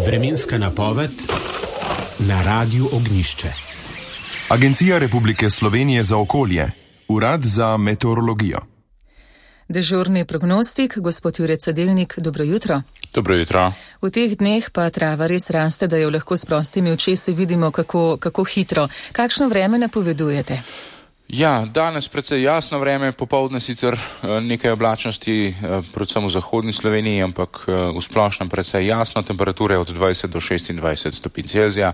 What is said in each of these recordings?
Vremenska napoved na Radiu Ognjišče. Agencija Republike Slovenije za okolje, Urad za meteorologijo. Dežurni prognostik, gospod Jure Cedelnik, dobro jutro. Dobro jutro. V teh dneh pa trava res raste, da jo lahko s prostimi očesi vidimo, kako hitro. Kakšno vreme napovedujete? Ja, danes precej jasno vreme, popoldne sicer nekaj oblačnosti, predvsem v zahodni Sloveniji, ampak v splošnem precej jasno, temperature od 20 do 26 stopinj Celzija.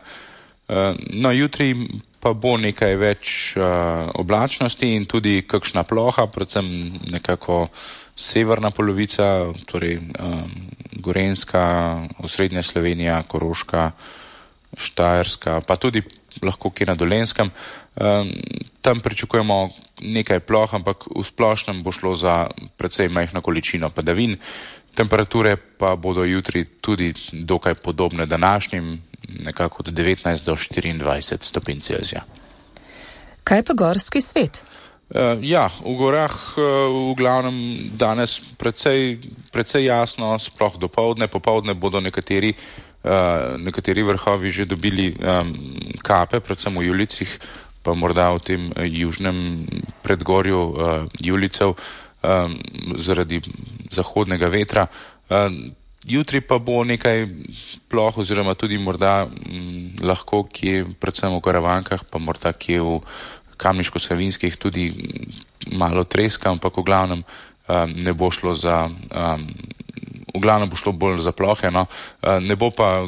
No, jutri pa bo nekaj več oblačnosti in tudi kakšna ploha, predvsem nekako severna polovica, torej Gorenjska, osrednja Slovenija, Koroška, Štajerska, pa tudi lahko kje na Dolenjskem. Tam pričakujemo nekaj ploh, ampak v splošnem bo šlo za precej majhno količino padavin. Temperature pa bodo jutri tudi dokaj podobne današnjim, nekako od 19 do 24 stopinj Celzija. Kaj pa gorski svet? Ja, v gorah v glavnem danes precej jasno, sploh dopoldne. Popoldne bodo nekateri vrhovi že dobili kape, predvsem v Julicih, pa morda v tem južnem predgorju Julicev zaradi zahodnega vetra. Jutri pa bo nekaj ploh oziroma tudi morda lahko kje, predvsem v Karavankah, pa morda kje v Kamniško-Savinjskih tudi malo treska, ampak v glavnem ne bo šlo za... V glavnem bo šlo bolj za plohe, no. Ne bo pa,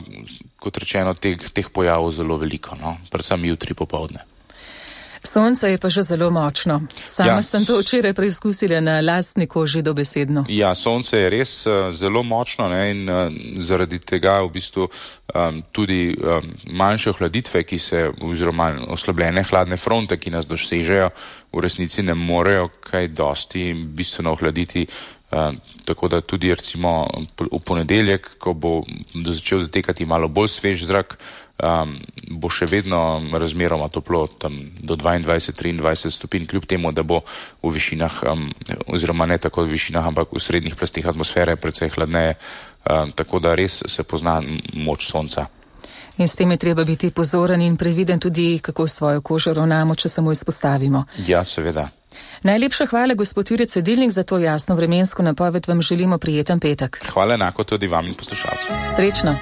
kot rečeno, teh pojavov zelo veliko, no. Predvsem jutri popoldne. Sonce je pa že zelo močno. Sama sem to včeraj preizkusila na lastni koži dobesedno. Ja, sonce je res zelo močno, ne, in zaradi tega v bistvu tudi manjše ohladitve, oziroma oslabljene hladne fronte, ki nas dosežejo, v resnici ne morejo kaj dosti bistveno ohladiti. Tako da tudi recimo v ponedeljek, ko bo začel dotekati malo bolj svež zrak, bo še vedno razmeroma toplo, tam do 22-23 stopinj, kljub temu, da bo v višinah, oziroma ne tako v višinah, ampak v srednjih plastih atmosfere precej hladneje, tako da res se pozna moč sonca. In s tem je treba biti pozoren in previden tudi, kako svojo kožo ravnamo, če samo izpostavimo. Ja, seveda. Najlepša hvala, gospod Jure Cedelnik, za to jasno vremensko napoved. Vam želimo prijeten petek. Hvala enako tudi vam in poslušalcem. Srečno.